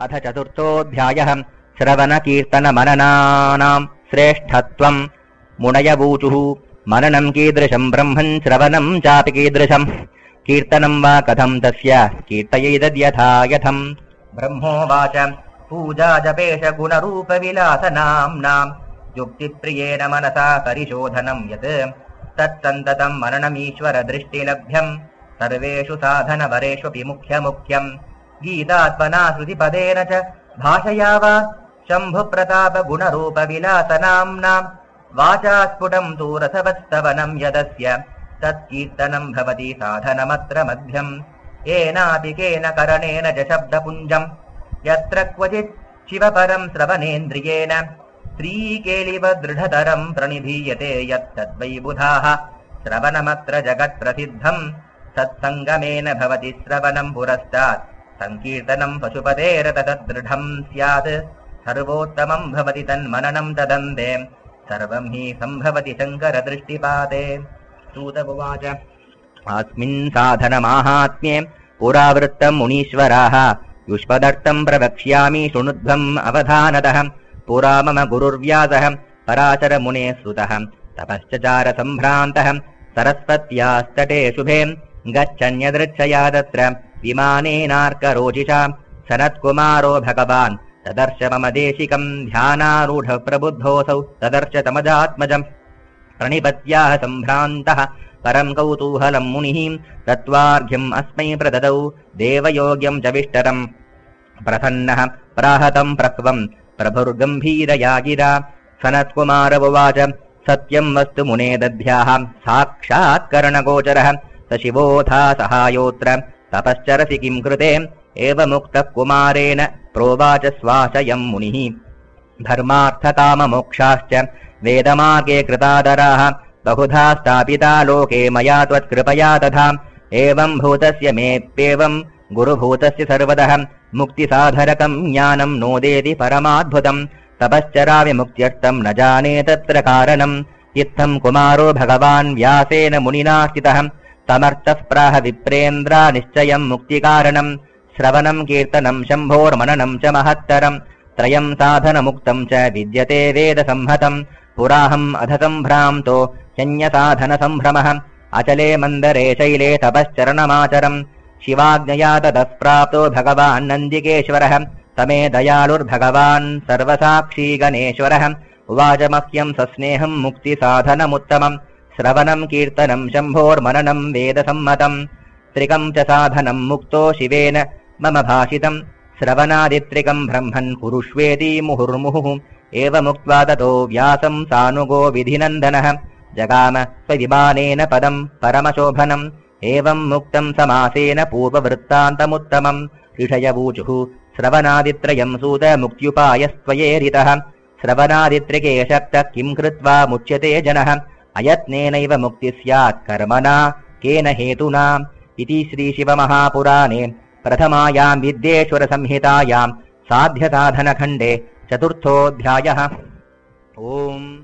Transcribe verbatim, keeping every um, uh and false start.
अथ चतुर्थोऽध्यायः श्रवणकीर्तनमननानां श्रेष्ठत्वम्। मुनयवूचुः मननं कीदृशं ब्रह्मन् श्रवणं चापि कीदृशम्। कीर्तनं वा कथं तस्य कीर्तयेदद्यथा यथम्। ब्रह्मोवाच पूजा जपेश गुणरूपविलासनाम्नां युक्तिप्रियेण मनसा परिशोधनं यत् तत्सन्ततं मननमीश्वरदृष्टिलभ्यम् सर्वेषु साधनवरेष्वपि मुख्यमुख्यम्। गीतात्मना श्रुतिपदेन च भाषया वा शम्भुप्रतापगुणरूपविलासनाम्नां वाचा स्फुटं तु रसवत्स्तवनं यदस्य तत्कीर्तनं भवति साधनमत्र मध्यम्। येनापि केन करणेन च शब्दपुञ्जम् यत्र क्वचित् शिवपरं श्रवणेन्द्रियेण स्त्रीकेलिव दृढतरं प्रणिधीयते यत्तद्वै बुधाः श्रवणमत्र जगत्प्रसिद्धम्। सत्सङ्गमेन भवति श्रवणं पुरस्तात् संकीर्तनं पशुपतेरतदृढं स्यात्। सर्वोत्तमं भवति तन्मननं तदन्ते सर्वं हि सम्भवति शङ्करदृष्टिपाते। सूत उवाच अस्मिन् साधनमाहात्म्ये पुरावृत्तं मुनीश्वराः युष्मदर्थं प्रवक्ष्यामि शृणुध्वम् अवधानतः। पुरा मम गुरुर्व्यासः पराशरमुनेः सुतः तपश्चचार सम्भ्रान्तः सरस्वत्यास्तटे शुभे गच्छन्यदृच्छया तत्र विमानेनार्करोचिषा सनत्कुमारो भगवान् तदर्श मम देशिकं ध्यानारूढ प्रबुद्धोऽसौ तदर्श तमजात्मजम्। प्रणिपत्याः सम्भ्रान्तः परं कौतूहलं मुनिः तत्त्वार्घ्यम् अस्मै प्रददौ देवयोग्यं च विष्टरम्। प्रसन्नः प्राहतं प्रक्वम् प्रभुर्गम्भीरया गिरा सनत्कुमार उवाच सत्यं वस्तु मुने दद्भ्याः साक्षात्करणगोचरः स शिवोऽथा सहायोऽत्र तपश्चरसि किं कृते एवमुक्तः कुमारेण प्रोवाच स्वाशयं मुनिः। धर्मार्थकाममोक्षाश्च वेदमार्गे कृतादराः बहुधा स्थापिता लोके मया त्वत्कृपया तथा। एवं भूतस्य मेऽप्येवं गुरुभूतस्य सर्वतः मुक्तिसाधरकं ज्ञानं नोदेति परमाद्भुतम्। तपश्चरामि मुक्त्यर्थं न जाने तत्र कारणम्। इत्थं कुमारो भगवान् व्यासेन मुनिना स्थितः तमर्थः प्राह विप्रेन्द्रा निश्चयं मुक्तिकारणम्। श्रवणं कीर्तनं शम्भोर्मननं च महत्तरम् त्रयं साधनमुक्तं च विद्यते वेदसंहतम्। पुराहम् अधसम्भ्रान्तो ह्यन्यसाधनसम्भ्रमः अचले मन्दरे शैले तपश्चरणमाचरम्। शिवाज्ञया ततः प्राप्तो भगवान् नन्दिकेश्वरः तमे दयालुर्भगवान् सर्वसाक्षी गणेश्वरः। उवाच मह्यं सस्नेहं मुक्तिसाधनमुत्तमम् श्रवणं कीर्तनं शम्भोर्मननं वेदसम्मतम्। त्रिकं च साधनं मुक्तो शिवेन मम भाषितं श्रवणादित्रिकं ब्रह्मन् कुरुष्वेति मुहुर्मुहुः। एवमुक्त्वा ततो व्यासं सानुगो विधिनन्दनः जगाम स्वविमानेन पदं परमशोभनम्। एवं मुक्तं समासेन पूर्ववृत्तान्तमुत्तमम्। ऋषयवूचुः श्रवणादित्रयं सूत मुक्त्युपायस्त्वयेरितः। श्रवणादित्रिके शक्तः किं कृत्वा मुच्यते जनः अयत्नेनैव मुक्तिः स्यात् कर्मणा केन हेतुना। इति श्रीशिवमहापुराणे प्रथमायां विद्येश्वरसंहितायां साध्यसाधनखण्डे चतुर्थोऽध्यायः। ओम्।